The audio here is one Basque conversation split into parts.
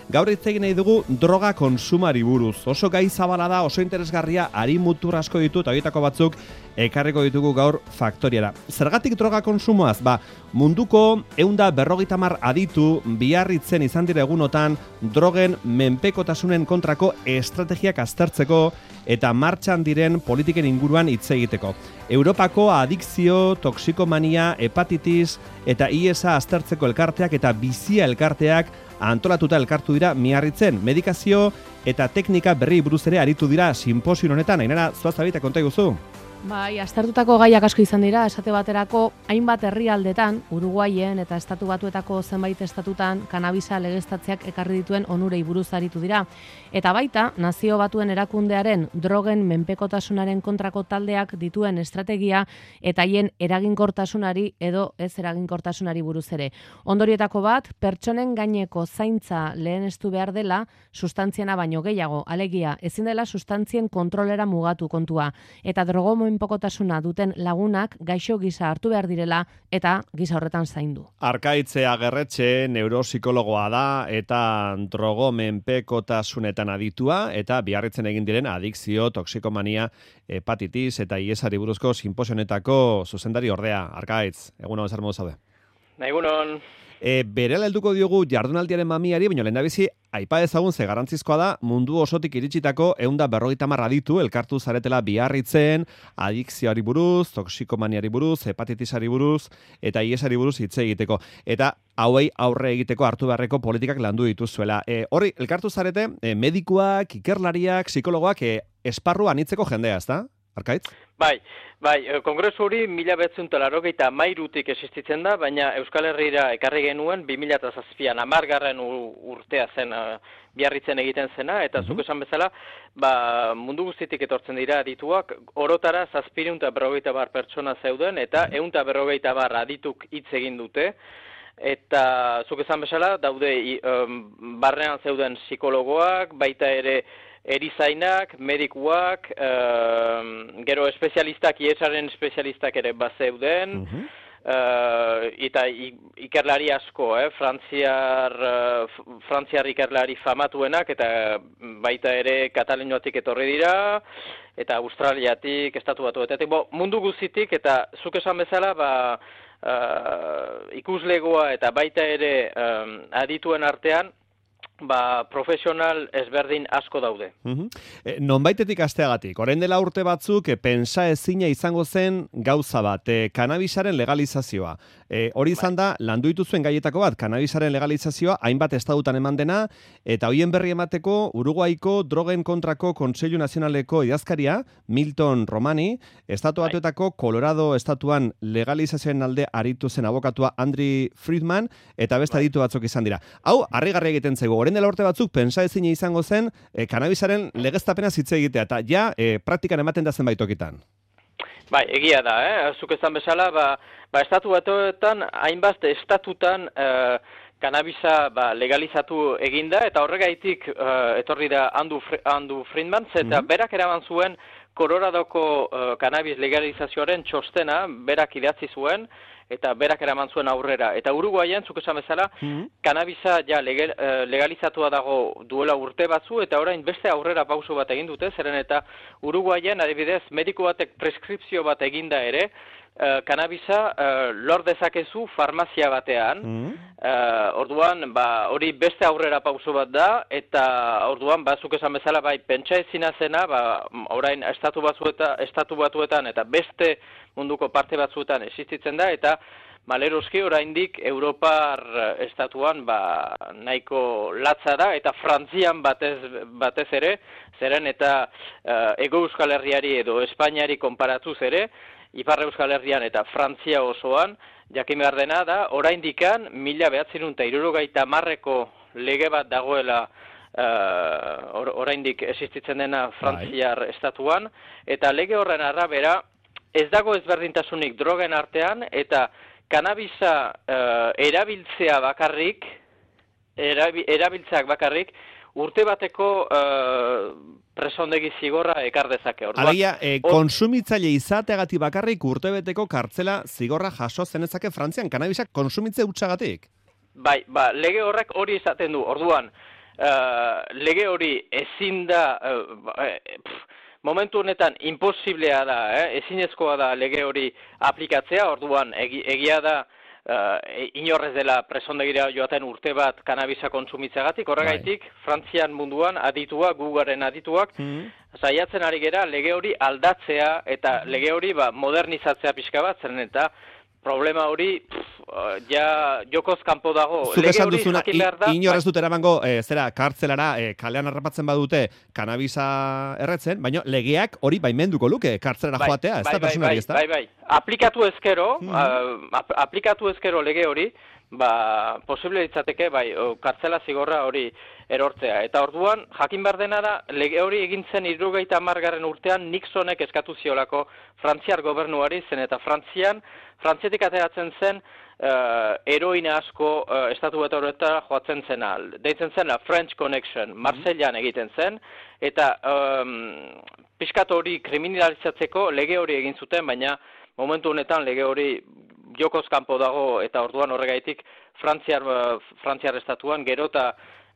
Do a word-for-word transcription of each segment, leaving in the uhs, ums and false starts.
Gaur hitz egin nahi dugu droga konsumari buruz. Oso gai zabala da, oso interesgarria, hari mutur asko ditu, eta horietako batzuk ekarriko ditugu gaur faktoriara. Zergatik droga konsumoaz? Ba, munduko ehun eta berrogeita hamar aditu biarritzen izan dira egunotan drogen menpekotasunen kontrako estrategiak aztertzeko eta martxan diren politiken inguruan hitz egiteko. Europako adikzio, toxikomania, hepatitis eta I E S-a aztertzeko elkarteak eta bizia elkarteak antolatuta elkartu dira Miarritzen. Medikazio eta teknika berri buruz ere aritu dira sinposio honetan. Ainara, zuazabita konta iguzu? Bai, aztertutako gaiak asko izan dira, esate baterako hainbat herrialdetan, Uruguaien eta estatu batuetako zenbait estatutan kanabisa legeztatzeak ekarri dituen onurei buruz aritu dira. Eta baita, nazio batuen erakundearen drogen menpekotasunaren kontrako taldeak dituen estrategia eta haien eraginkortasunari edo ez eraginkortasunari buruz ere. Ondorietako bat, pertsonen gaineko zaintza lehenestu behar dela sustantziena baino gehiago, alegia, ezin dela sustantzien kontrolera mugatu kontua. Eta drogo menpekotasuna duten lagunak gaixo gisa hartu behar direla eta gisa horretan zaindu. Arkaitze Agerretxe neuropsikologoa da eta drogo menpekotasunetan aditua eta Biarritzen egin diren adikzio, toxikomania, hepatitis eta I E S-ari buruzko sinposionetako zuzendari ordea. Arkaitz, egunon zer modu zaude? Egunon. E, berela helduko diogu jardunaldiaren mamiari, baina lehendabizi aipa ezagun ze garantzizkoa da mundu osotik iritsitako ehun eta berrogeita hamar aditu elkartu zaretela Biarritzen, adikzioari buruz, toxikomaniari buruz, hepatitisari buruz eta I E S-ari buruz hitz egiteko. Eta hauei aurre egiteko hartu beharreko politikak landu dituzuela. E, horri, elkartu zarete, e, medikuak, ikerlariak, psikologoak, e, esparru anitzeko jendea, ezta? Arkaitz? Bai, bai, kongresu hori mila bederatziehun eta laurogeita hamairutik existitzen da, baina Euskal Herrira ekarri genuen bi mila zazpian, hamargarren urtea zen uh, Biarritzen egiten zena, eta uh-huh. zuk esan bezala, ba, mundu guztitik etortzen dira adituak, orotara zazpiehun eta berrogeita hamar pertsona zeuden, eta ehun eta berrogeita hamar adituk hitz egin dute, eta zuk esan bezala, daude um, barnean zeuden psikologoak, baita ere erizainak, medikuak, uh, gero espezialistak, I E S-aren espezialistak ere bazeuden, uh-huh. uh, eta ikerlari asko, eh? Frantziar, uh, Frantziar ikerlari famatuenak, eta baita ere Kataluniatik etorri dira, eta Australiatik, estatu batuetatik, bo, mundu guztitik, eta zuk esan bezala, ba, uh, ikuslegoa eta baita ere um, adituen artean, ba, profesional ezberdin asko daude. Uh-huh. E, nonbaitetik asteagatik, orain dela urte batzuk, e, pensa ezina izango zen gauza bat, e, kanabisaren legalizazioa. E, hori izan da, landu dituzuen gaietako bat, kanabisaren legalizazioa, hainbat estatutan eman dena, eta hoien berri emateko, Uruguaiko drogen kontrako Kontseilu Nazionaleko idazkaria, Milton Romani, estatu batuetako Colorado estatuan legalizazioen alde aritu zen abokatua Andri Friedman, eta beste aditu batzuk izan dira. Hau, harrigarri egiten zaigu. Orain dela urte batzuk, pensa ezina izango zen e, kanabisaren legeztapena hitz egitea, eta ja, e, praktikan ematen da zenbait tokitan. Bai, egia da, eh? Zuk esan bezala, ba, ba estatu batuetan, hainbat estatutan eh, kanabisa ba, legalizatu eginda, eta horregaitik eh, etorri da Andu, Andu Friedman, eta mm-hmm. berak eraman zuen Coloradoko uh, kanabis legalizazioaren txostena, berak idatzi zuen, eta berak eraman zuen aurrera. Eta Uruguaien, zuk esan bezala, mm-hmm. kanabisa ja legal, uh, legalizatua dago duela urte batzu, eta orain beste aurrera pauso bat egin dute, zeren eta Uruguaien, adibidez, mediku batek preskripzio bat eginda ere, uh, kanabisa uh, lor dezakezu farmazia batean, mm-hmm. uh, orduan, ba, hori beste aurrera pauso bat da, eta orduan, ba, zuk esan bezala, bai, pentsa ezina zena, ba, orain estatu batzuetan, estatu batuetan, eta beste munduko parte batzuetan existitzen da, eta maleroski oraindik Europar estatuan ba, nahiko latza da, eta Frantzian batez, batez ere, zeren eta uh, Ego Euskal Herriari edo Espainiari konparatuz ere, Ipar Euskal Herrian eta Frantzia osoan, jakin behar dena da, oraindikan mila bederatziehun eta hirurogeita hamarreko lege bat dagoela uh, or, oraindik existitzen dena Frantziar Bye. Estatuan, eta lege horren arabera, ez dago ezberdintasunik drogen artean, eta kanabisa uh, erabiltzea bakarrik, erabi, erabiltzeak bakarrik, urte bateko uh, presondegi zigorra ekar dezake. Alegia, e, konsumitzaile izateagatik bakarrik urtebeteko kartzela zigorra jaso zenezake Frantzian, kanabisak konsumitze hutsagatik? Bai, ba, lege horrek hori izaten du, orduan, uh, lege hori ezin da, uh, pff, momentu honetan imposiblea da, eh? ezinezkoa da lege hori aplikatzea, orduan egi, egia da uh, inorrez dela presondegira joaten urte bat kanabisa kontsumitzeagatik, horregaitik Frantzian munduan aditua, Googleen adituak, mm-hmm. saiatzen ari gera lege hori aldatzea eta lege hori ba, modernizatzea pixka bat, zeren eta problema hori pff, ja jokoz kanpo dago. Zuk esan duzuna, inorez dut eramango, e, zera, kartzelara, e, kalean harrapatzen badute kanabisa erretzen, baina legeak hori baimenduko luke, kartzelara bai, joatea, ez da personari, ez da? Bai, bai, aplikatu ezkero, hmm. uh, aplikatu ezkero lege hori, ba, posible ditzateke, bai, kartzela zigorra hori erortzea. Eta orduan, jakin behar dena da, lege hori egintzen hirurogeita hamargarren urtean Nixonek eskatu ziolako Frantziar gobernuari zen, eta Frantzian, Frantziatik ateratzen zen, uh, heroina asko uh, estatu bat horretara joatzen zen al. Deitzen zen la French Connection, Marseillan egiten zen, eta um, pixkat hori kriminalizatzeko lege hori egin zuten, baina momentu honetan lege hori jokoz kanpo dago, eta orduan horregaitik Frantziar, Frantziar estatuan gero eta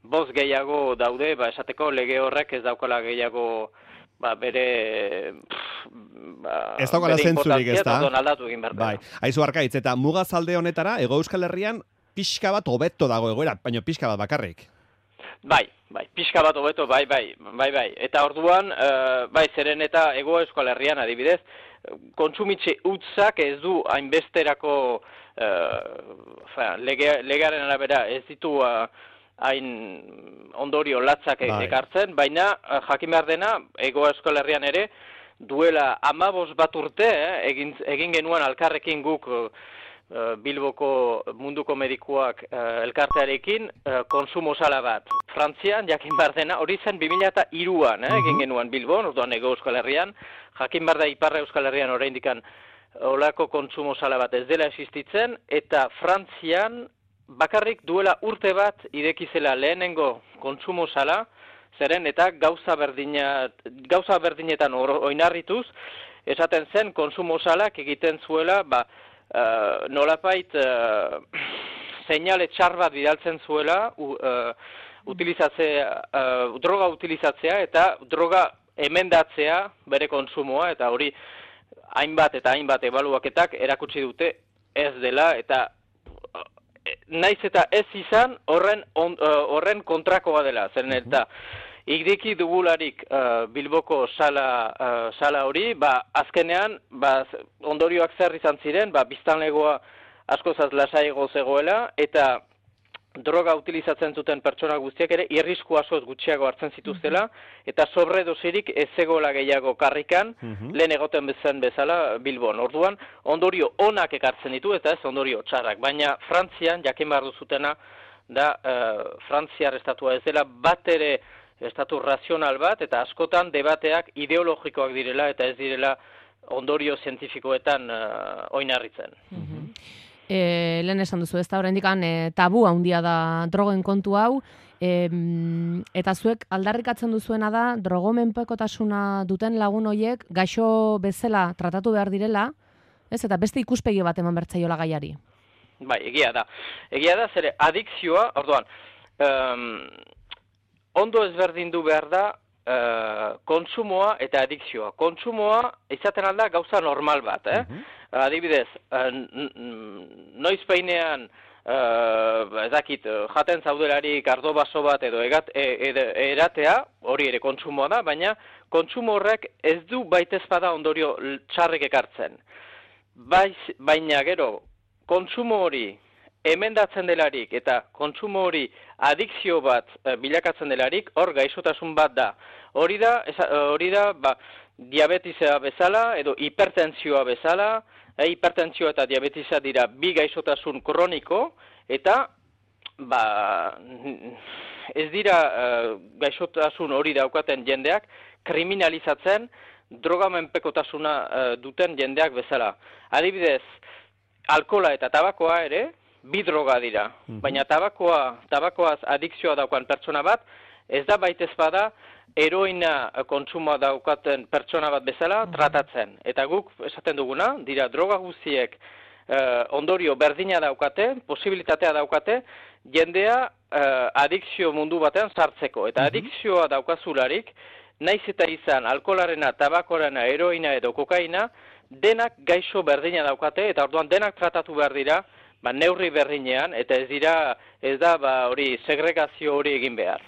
bost gehiago daude, ba, esateko lege horrek ez daukala gehiago ba, bere... Pff, ba, ez daukala zentzurik, ez da? Aldatu egin behar. Bai. Aizu Arkaitz, eta mugazalde honetara, Hego Euskal Herrian, pixka bat hobeto dago egoera, baina pixka bat bakarrik. Bai, bai, pixka bat hobeto, bai, bai, bai, bai. Eta orduan, uh, bai, zeren eta Hego Euskal Herrian adibidez, kontsumitxe utzak ez du hainbesterako uh, lege, legearen arabera ez ditu uh, hain ondorio latzak bai. ekartzen, baina uh, jakin behar dena, Hego Euskal Herrian ere, duela amabos bat urte, eh, egin, egin genuen alkarrekin guk uh, Bilboko munduko medikuak uh, elkartearekin uh, konsumo sala bat. Frantzian, jakin behar dena, hori zen bi mila hiruan, eh, egin genuen Bilbon, orduan Hego Euskal Herrian, jakin behar da Iparra Euskal Herrian oraindikan olako konsumo sala bat ez dela existitzen, eta Frantzian bakarrik duela urte bat irekizela lehenengo konsumo sala, zeren eta gauza berdinat, gauza berdinetan oinarrituz, esaten zen konsumo salak egiten zuela, ba, Uh, nolapait uh, seinale txar bat bidaltzen zuela uh, utilizatzea, uh, droga utilizatzea eta droga emendatzea bere konsumoa, eta hori hainbat eta hainbat ebaluaketak erakutsi dute ez dela, eta uh, naiz eta ez izan horren, on, uh, horren kontrakoa dela, zeren eta Igdiki dugularik uh, Bilboko sala, uh, sala hori, ba, azkenean ba, ondorioak zer izan ziren, ba, biztanlegoa askozaz lasaigo zegoela, eta droga utilizatzen zuten pertsona guztiak ere irrisku askoz gutxiago hartzen zituztela, eta sobredosirik ez zegoela gehiago karrikan, uh-huh. lehen egoten bezen bezala Bilbon. Orduan, ondorio onak ekartzen ditu, eta ez ondorio txarrak, baina Frantzian, jakin behar duzutena, da uh, Frantziar estatua ez dela bat ere estatu razional bat, eta askotan debateak ideologikoak direla, eta ez direla ondorio zientifikoetan uh, oinarritzen. Mm-hmm. E, lehen esan duzu, ez da horrendikan e, tabu handia da drogen kontu hau, e, eta zuek aldarrikatzen duzuena da, drogomenpekotasuna duten lagun hoiek gaixo bezala tratatu behar direla, ez, eta beste ikuspegi bat eman bertzaiola gaiari. Bai, egia da. Egia da, zere, adikzioa, orduan, um, ondo ezberdindu behar da uh, kontsumoa eta adikzioa. Kontsumoa izaten alda gauza normal bat, eh? Uh-huh. Adibidez, uh, noiz peinean, uh, ez dakit, jaten zaudelarik ardo baso bat edo egat, e, e, eratea, hori ere kontsumoa da, baina kontsumo horrek ez du baitezpada ondorio txarrek ekartzen. Baiz, baina gero, kontsumo hori emendatzen delarik eta kontsumo hori adikzio bat e, bilakatzen delarik, hor gaixotasun bat da. Hori da, eza, hori da ba, diabetisa bezala edo hipertentsioa bezala, e, hipertentsioa eta diabetisa dira bi gaixotasun kroniko, eta ba, ez dira e, gaixotasun hori daukaten jendeak kriminalizatzen drogamenpekotasuna e, duten jendeak bezala. Adibidez, alkola eta tabakoa ere, bi droga dira, mm-hmm. baina tabakoa, tabakoaz adikzioa daukan pertsona bat, ez da baitez bada heroina kontsumoa daukaten pertsona bat bezala mm-hmm. tratatzen. Eta guk esaten duguna, dira droga guztiek eh, ondorio berdina daukate, posibilitatea daukate, jendea uh, adikzio mundu batean sartzeko. Eta adikzioa daukazularik, naiz eta izan alkoholarena, tabakorena, heroina edo kokaina, denak gaixo berdina daukate, eta orduan denak tratatu behar dira, ba, neurri berdinean, eta ez dira, ez da, ba, hori, segregazio hori egin behar.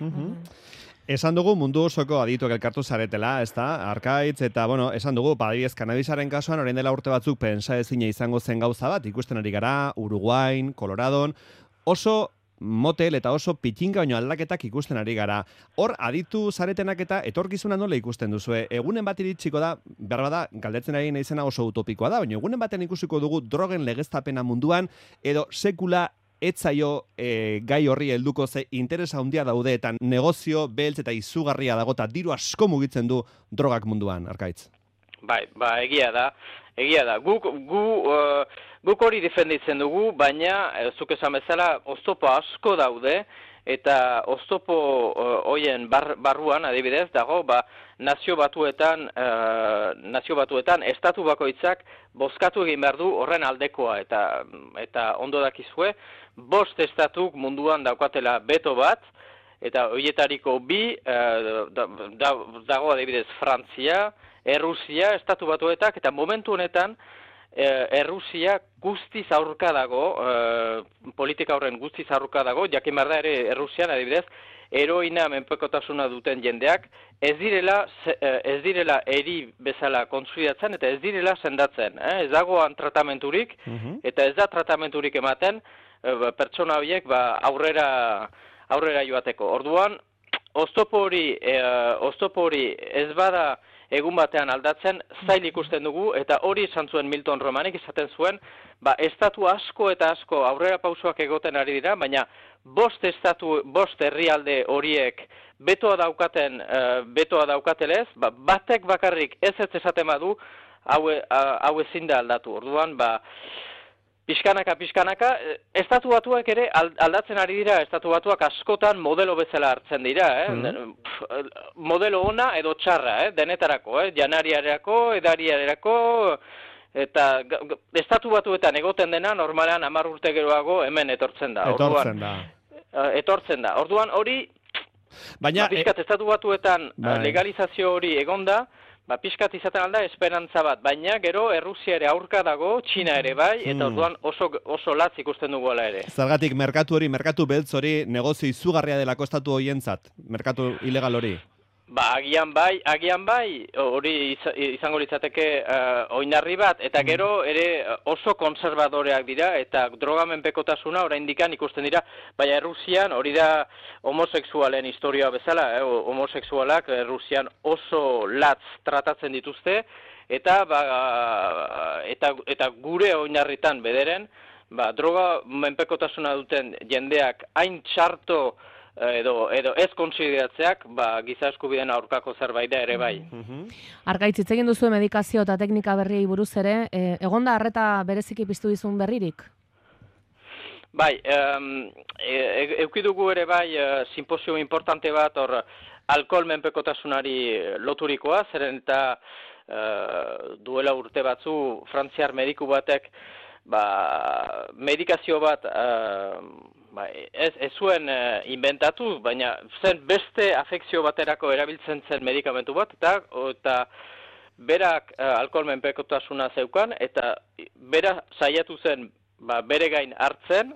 Esan dugu mundu osoko adituak elkartu zaretela, ez da, Arkaitz, eta, bueno, esan dugu, badibidez, kanabisaren kasuan, orain dela urte batzuk pentsa ezina izango zen gauza bat, ikusten ari gara, Uruguain, Coloradon, oso motel eta oso pitxinga baino aldaketak ikusten ari gara. Hor, aditu zaretenak eta etorkizuna nola ikusten duzue? Egunen bat iritsiko da, behar bada, galdetzen ari naizena oso utopikoa da, baina egunen baten ikusiko dugu drogen legeztapena munduan, edo sekula etzaio e, gai horri helduko ze interesa handia daude eta negozio beltz eta izugarria dago eta diru asko mugitzen du drogak munduan, Arkaitz. Bai, ba, egia da, egia da. Guk, gu, uh, guk hori defenditzen dugu, baina, uh, zuk esan bezala, oztopo asko daude, eta oztopo uh, hoien bar, barruan, adibidez, dago, ba, nazio batuetan, uh, nazio batuetan, estatu bakoitzak bozkatu egin behar du horren aldekoa, eta, eta ondo dakizue, bost estatuk munduan daukatela beto bat, eta horietariko bi, uh, da, da, dago adibidez Frantzia, Errusia, estatu batuetak, eta momentu honetan, eh, Errusia guztiz aurka dago, eh, politika horren guztiz aurka dago, jakin behar da ere Errusian, adibidez, heroina menpekotasuna duten jendeak, ez direla, ez direla eri bezala kontsolidatzen, eta ez direla sendatzen. Eh? Ez dagoan tratamenturik, eta ez da tratamenturik ematen, eh, pertsona horiek ba, aurrera, aurrera joateko. Orduan, oztopo hori, eh, oztopo hori ez bada, egun batean aldatzen, zail ikusten dugu, eta hori izan zuen Milton Romanek izaten zuen, ba, estatu asko eta asko aurrera pausoak egoten ari dira, baina bost estatu, bost herrialde horiek betoa daukaten, uh, betoa daukatelez, ba, batek bakarrik ez ez esaten badu, hau, hau ezin da aldatu. Orduan, ba, pixkanaka, pixkanaka, estatu batuak ere aldatzen ari dira, estatu batuak askotan modelo bezala hartzen dira, eh? Mm. Modelo ona edo txarra, eh? Denetarako, eh? Janariarako, edariarako, eta estatu batuetan egoten dena, normalean hamar urte geroago hemen etortzen da. Etortzen da. Orduan, etortzen da. Orduan hori, baina, ba, pixkat estatu batuetan bai. Legalizazio hori egonda, ba, pixkat izaten alda esperantza bat, baina gero Errusia ere aurka dago, Txina ere bai, eta orduan oso, oso latz ikusten dugu ala ere. Zergatik, merkatu hori, merkatu beltz hori, negozio izugarria delako estatu horientzat, merkatu ilegal hori? Ba, agian bai, agian bai, hori izango litzateke uh, oinarri bat, eta gero ere oso konservadoreak dira, eta drogamenpekotasuna oraindikan ikusten dira, baina Errusian hori da homosexualen historia bezala, eh, homosexualak Errusian oso latz tratatzen dituzte, eta, ba, eta, eta gure oinarritan bederen, ba, droga menpekotasuna duten jendeak hain txarto edo edo ez kontsideratzeak, ba, giza eskubideen aurkako zerbait da ere bai. Arkaitz, hitz egin duzu medikazio eta teknika berriei buruz ere, e, egonda arreta bereziki piztu dizun berririk? Bai, um, e, eukidugu ere bai uh, simposio importante bat hor alkohol menpekotasunari loturikoa, zeren eta uh, duela urte batzu frantziar mediku batek ba, medikazio bat uh, ba, ez, ez zuen uh, inventatu, baina zen beste afekzio baterako erabiltzen zen medikamentu bat, eta, eta berak uh, alkohol menpekotasuna zeukan, eta bera saiatu zen ba, bere gain hartzen,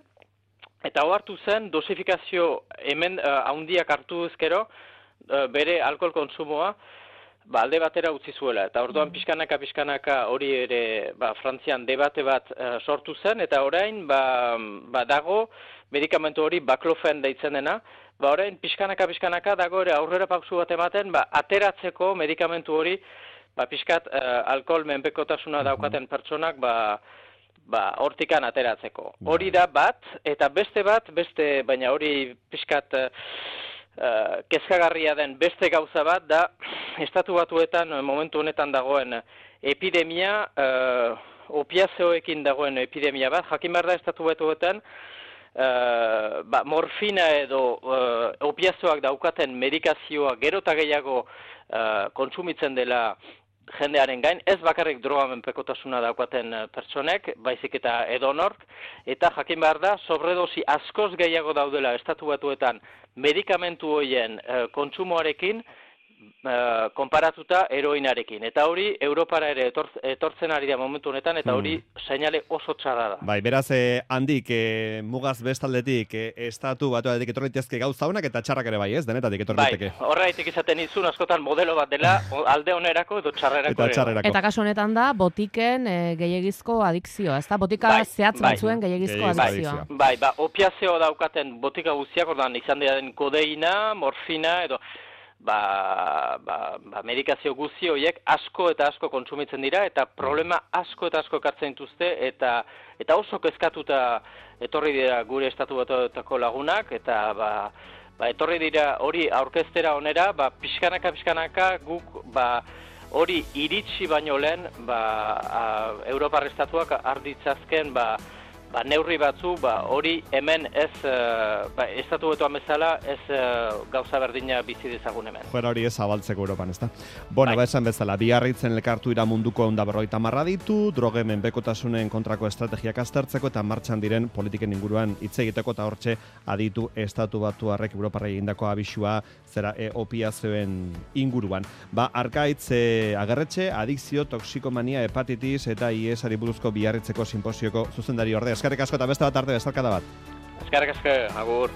eta hartu zen dosifikazio hemen uh, handiak hartu ezkero, uh, bere alkohol konsumoa, ba, alde batera utzi zuela. Eta orduan pixkanaka, pixkanaka hori ere ba, Frantzian debate bat uh, sortu zen, eta orain ba, ba, dago medikamentu hori baklofen deitzen dena, ba, orain pixkanaka, pixkanaka dago ere aurrera pausu bat ematen, ba, ateratzeko medikamentu hori, ba, pixkat uh, alkohol menpekotasuna daukaten pertsonak, ba, ba, hortikan ateratzeko. Hori da bat, eta beste bat, beste, baina hori pixkat uh, uh, kezkagarria den beste gauza bat, da estatu batuetan momentu honetan dagoen epidemia, uh, opiazeoekin dagoen epidemia bat, jakin behar da estatu batuetan, uh, ba, morfina edo uh, opiazeoak daukaten medikazioa gero eta gehiago uh, kontsumitzen dela jendearen gain, ez bakarrik drogamenpekotasuna daukaten pertsonek, baizik eta edonork, eta jakin behar da, sobredosi askoz gehiago daudela estatu batuetan medikamentu horien uh, kontsumoarekin, Uh, konparatuta heroinarekin. Eta hori Europara ere etor, etortzen ari da momentu honetan, eta hori hmm. seinale oso txarra da. Bai, beraz, eh, handik, eh, mugaz bestaldetik, eh, estatu batuatik etorritezke gauza honak, eta txarrak ere bai, ez? Denetatik etorritezke. Bai, horreitik izaten izun askotan modelo bat dela, alde onerako edo txarrerako. Eta txarrerako. Eta kasu honetan da, botiken e, gehiagizko adikzioa, ez da? Botika bai, zehatz bai, batzuen gehiagizko adikzioa. Bai, ba, opiazio daukaten botika guztiak, ordan izan den kodeina, morfina, edo Ba, ba, ba, medikazio guzti horiek asko eta asko kontsumitzen dira eta problema asko eta asko ekartzen dituzte eta eta oso kezkatuta etorri dira gure estatu batuetako lagunak eta ba, ba, etorri dira hori aurkeztera onera, ba, pixkanaka pixkanaka guk ba, hori iritsi baino lehen ba, a, Europar estatuak arditzazken ba, Ba, neurri batzu, ba, hori hemen ez, uh, ba, estatu betuan bezala, ez uh, gauza berdina bizi dezagun hemen. Joera hori ez zabaltzeko Europan, ez da? Bueno, bai. Ba, esan bezala, Biarritzen elkartu ira munduko onda berrogeita hamar ditu, drogemen bekotasunen kontrako estrategiak aztertzeko eta martxan diren politiken inguruan hitz egiteko eta hortxe aditu estatu batuarrek Europarra egindako abisua zera e, opiazioen inguruan. Ba, Arkaitz e, agerretxe, adikzio, toksikomania, hepatitis eta I E S-ari buruzko Biarritzeko sinposioko zuzendari ordea. Eskerrik asko eta beste bat arte bezalkada bat. Eskerrik asko, agur.